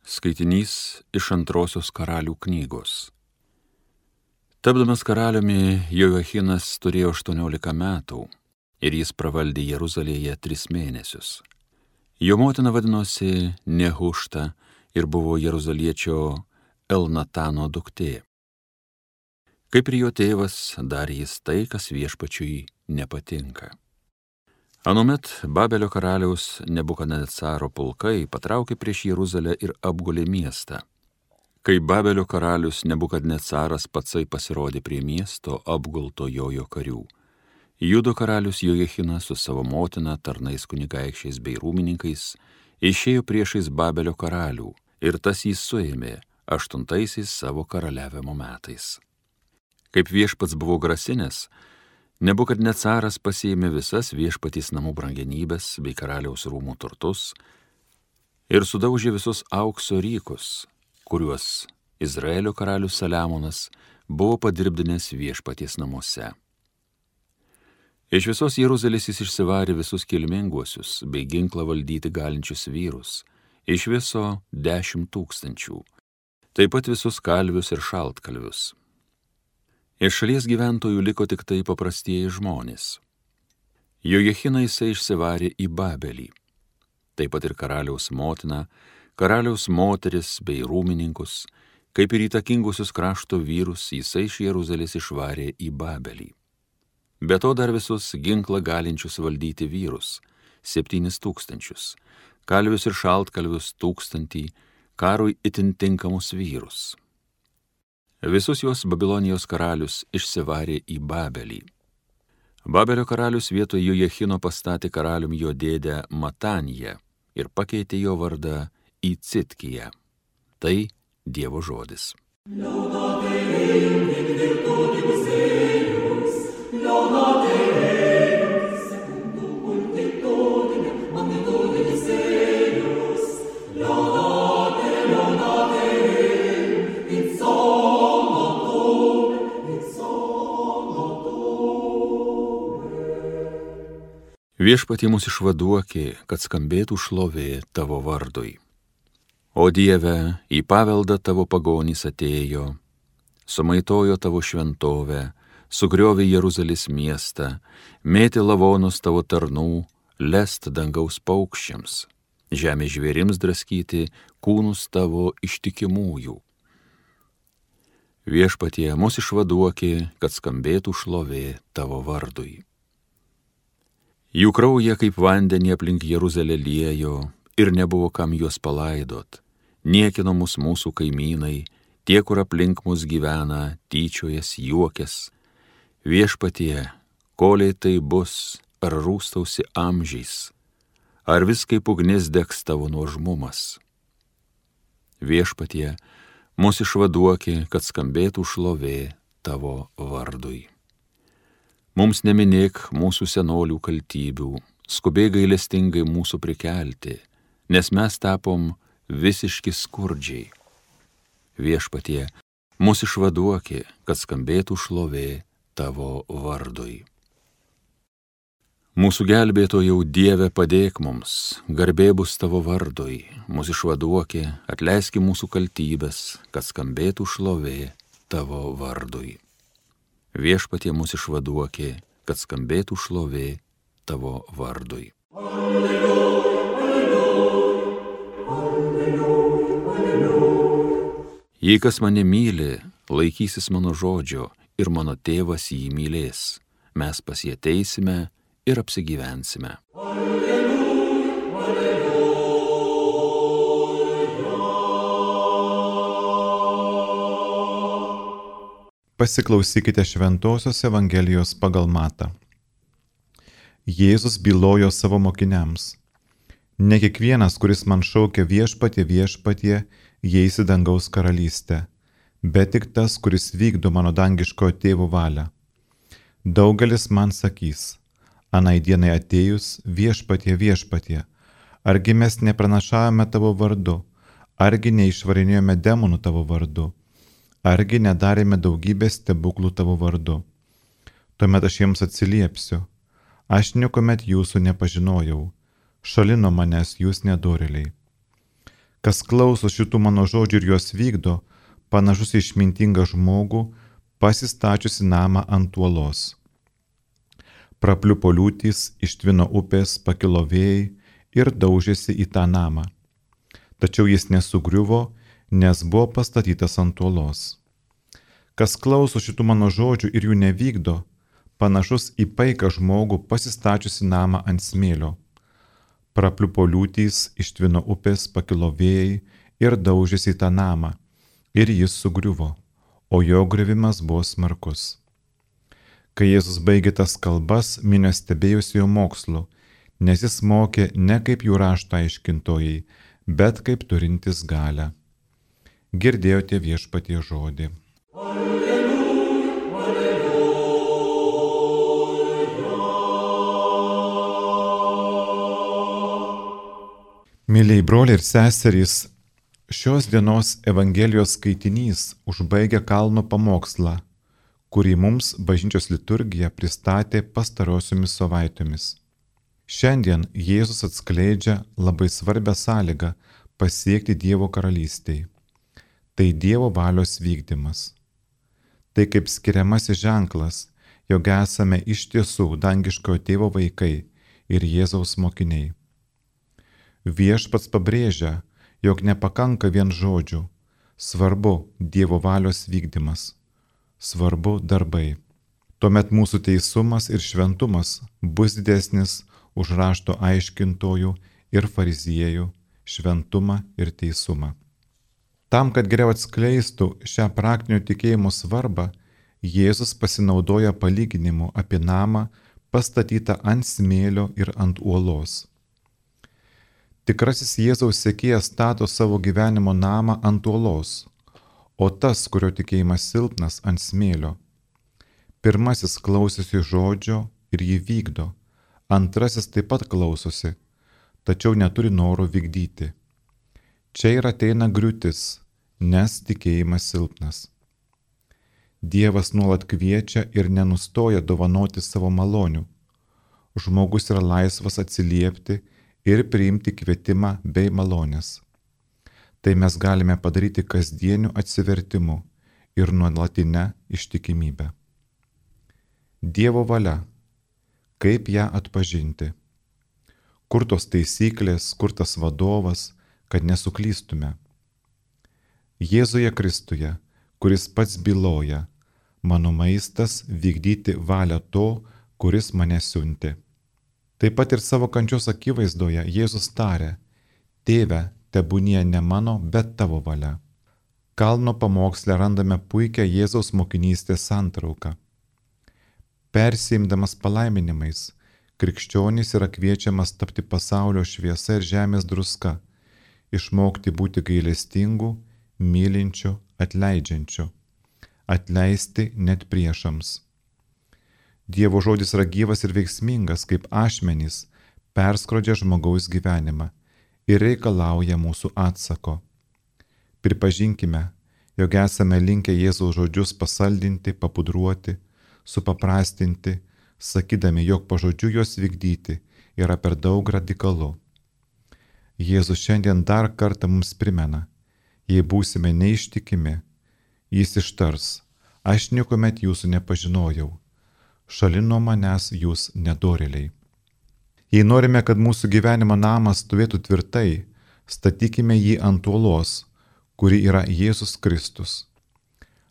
Skaitinys iš Antrosios karalių knygos. Tapdamas karaliumi, Joachinas turėjo 18 metų ir jis pravaldė Jeruzalėje 3 mėnesius. Jo motina vadinosi Nehušta ir buvo jeruzaliečio Elnatano duktė. Kaip ir jo tėvas, darė jis tai, kas viešpačiui nepatinka. Anuomet Babelio karaliaus Nebukadnecaro pulkai patraukė prieš Jeruzalę ir apgulė miestą. Kai Babelio karalius Nebukadnecaras patsai pasirodė prie miesto apgulto jojo karių, Judo karalius Joachinas su savo motina, tarnais kunigaikščiais bei rūmininkais išėjo priešais Babelio karalių ir tas jį suėmė 8 savo karaliavimo metais. Kaip viešpats buvo grasinęs, Nebukadnecaras pasiėmė visas viešpatys namų brangenybes bei karaliaus rūmų turtus ir sudaužė visus aukso rykus, kuriuos Izraelio karalius Saliamonas buvo padirbdinęs viešpaties namuose. Iš visos Jeruzalės jis išsivarė visus kilminguosius bei ginklą valdyti galinčius vyrus, iš viso 10 000, taip pat visus kalvius ir šaltkalvius. Iš šalies gyventojų liko tik tai paprastieji žmonės. Joachiną jisai išsivarė į Babelį, taip pat ir karaliaus motiną, karaliaus moteris bei rūmininkus, kaip ir įtakingusius krašto vyrus jisai iš Jeruzalės išvarė į Babelį. Be to dar visus ginklą galinčius valdyti vyrus, 7 000, kalvius ir šaltkalvius 1000, karui itin tinkamus vyrus. Visus juos Babilonijos karalius išsivarė į Babelį. Babelio karalius vietoj Joachino pastatė karalium jo dėdę Mataniją ir pakeitė jo vardą į Citkiją. Tai Dievo žodis. Viešpatie mus išvaduokė, kad skambėtų šlovė tavo vardui. O Dieve, į paveldą tavo pagonys atėjo, sumaitojo tavo šventovę, sugriovė Jeruzalės miestą, mėtė lavonus tavo tarnų, lest dangaus paukščiams, žemės žvėrims draskyti kūnus tavo ištikimųjų. Viešpatie, mus išvaduokė, kad skambėtų šlovė tavo vardui. Jų kraują kaip vandenį aplink Jeruzalę liejo ir nebuvo kam juos palaidot. Niekino mus mūsų kaimynai, tie, kur aplink mus gyvena, tyčiojas, juokės. Viešpatie, koliai tai bus, ar rūstausi amžiais, ar vis kaip ugnis degs tavo nuožmumas. Viešpatie, mus išvaduokė, kad skambėtų šlovė tavo vardui. Mums neminėk mūsų senolių kaltybių, skubiai gailestingai mūsų prikelti, nes mes tapom visiški skurdžiai. Viešpatie, mus išvaduokė, kad skambėtų šlovė tavo vardui. Mūsų gelbėtojau Dieve, padėk mums, garbė bus tavo vardui, mus išvaduokė, atleiski mūsų kaltybės, kad skambėtų šlovė tavo vardui. Viešpatie, mus išvaduokė, kad skambėtų šlovė tavo vardui. Alleluja, alleluja, alleluja, alleluja. Jei kas mane myli, laikysis mano žodžio ir mano tėvas jį mylės, mes pas jį ateisime ir apsigyvensime. Alleluja, alleluja. Pasiklausykite Šventosios Evangelijos pagal Matą. Jėzus bylojo savo mokiniams: Ne kiekvienas, kuris man šaukia viešpatie, viešpatie, įeis į dangaus karalystę, bet tik tas, kuris vykdo mano dangiškojo tėvo valią. Daugelis man sakys: Anai dienai atėjus, viešpatie, viešpatie, argi mes nepranašavome tavo vardu, argi neišvarinėjome demonų tavo vardu, argi nedarėme daugybės stebuklų tavo vardu. Tuomet aš jiems atsiliepsiu: Aš niekuomet jūsų nepažinojau, šalin nuo manęs jūs nedorėliai. Kas klauso šitų mano žodžių ir juos vykdo, panašus į išmintingą žmogų, pasistačiusi namą ant uolos. Prapliupo liūtys, ištvino upės, pakilo vėjai ir daužėsi į tą namą. Tačiau jis nesugriuvo, nes buvo pastatytas ant uolos. Kas klauso šitų mano žodžių ir jų nevykdo, panašus į paiką žmogų pasistačiusi namą ant smėlio. Prapliupo liūtys, ištvino upės, pakilo vėjai ir daužėsi į tą namą. Ir jis sugriuvo, o jo griuvimas buvo smarkus. Kai Jėzus baigė tas kalbas, minios stebėjosi jo mokslu, nes jis mokė ne kaip jų rašto aiškintojai, bet kaip turintis galią. Girdėjote Viešpaties žodį. Mėlyjei broliai ir seserys, šios dienos Evangelijos skaitinys užbaigia kalno pamokslą, kurį mums bažnyčios liturgija pristatė pastarosiomis savaitėmis. Šiandien Jėzus atskleidžia labai svarbią sąlygą pasiekti Dievo karalystei. Tai Dievo valios vykdymas. Tai kaip skiriamasis ženklas, jog esame iš tiesų dangiškojo Tėvo vaikai ir Jėzaus mokiniai. Viešpats pabrėžia, jog nepakanka vien žodžių, svarbu Dievo valios vykdymas, svarbu darbai. Tuomet mūsų teisumas ir šventumas bus didesnis už rašto aiškintojų ir fariziejų šventumą ir teisumą. Tam, kad geriau atskleistų šią praktinio tikėjimo svarbą, Jėzus pasinaudoja palyginimu apie namą pastatytą ant smėlio ir ant uolos. Tikrasis Jėzaus sekėjas stato savo gyvenimo namą ant uolos, o tas, kurio tikėjimas silpnas, ant smėlio. Pirmasis klausosi žodžio ir jį vykdo, antrasis taip pat klausosi, tačiau neturi noro vykdyti. Čia ir ateina griūtis, nes tikėjimas silpnas. Dievas nuolat kviečia ir nenustoja dovanoti savo malonių. Žmogus yra laisvas atsiliepti ir priimti kvietimą bei malonės. Tai mes galime padaryti kasdieniu atsivertimu ir nuolatinę ištikimybę. Dievo valia. Kaip ją atpažinti? Kur tos taisyklės, kur tas vadovas, kad nesuklystume? Jėzuje Kristuje, kuris pats byloja, mano maistas vykdyti valią to, kuris mane siuntė. Taip pat ir savo kančios akivaizdoje Jėzus tarė, Tėve, tebūnie ne mano, bet tavo valia. Kalno pamoksle randame puikią Jėzaus mokinystės santrauką. Persiimdamas palaiminimais, krikščionys yra kviečiamas tapti pasaulio šviesa ir žemės druska, išmokti būti gailestingų, mylinčių, atleidžiančių, atleisti net priešams. Dievo žodis yra gyvas ir veiksmingas, kaip ašmenys, perskrodžia žmogaus gyvenimą ir reikalauja mūsų atsako. Pripažinkime, jog esame linkę Jėzaus žodžius pasaldinti, papudruoti, supaprastinti, sakydami, jog pažodžiu juos vykdyti yra per daug radikalu. Jėzus šiandien dar kartą mums primena, jei būsime neištikimi, jis ištars, aš niekuomet jūsų nepažinojau, šalin nuo manęs jūs nedorėliai. Jei norime, kad mūsų gyvenimo namas stovėtų tvirtai, statykime jį ant uolos, kuri yra Jėzus Kristus.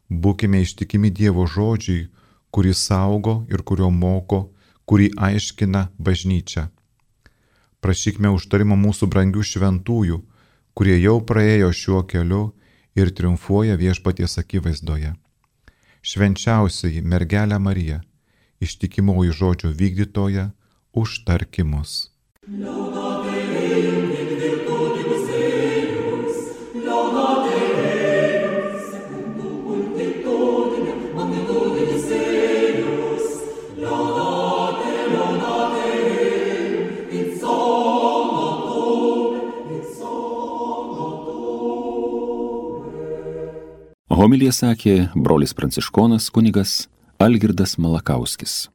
Būkime ištikimi Dievo žodžiui, kurį saugo ir kurio moko, kurį aiškina bažnyčia. Prašykime užtarimo mūsų brangių šventųjų, kurie jau praėjo šiuo keliu ir triumfuoja Viešpaties akivaizdoje. Švenčiausioji mergelė Marija, ištikimoji žodžio vykdytoja, užtarki mus. Homiliją sakė brolis pranciškonas kunigas Algirdas Malakauskis.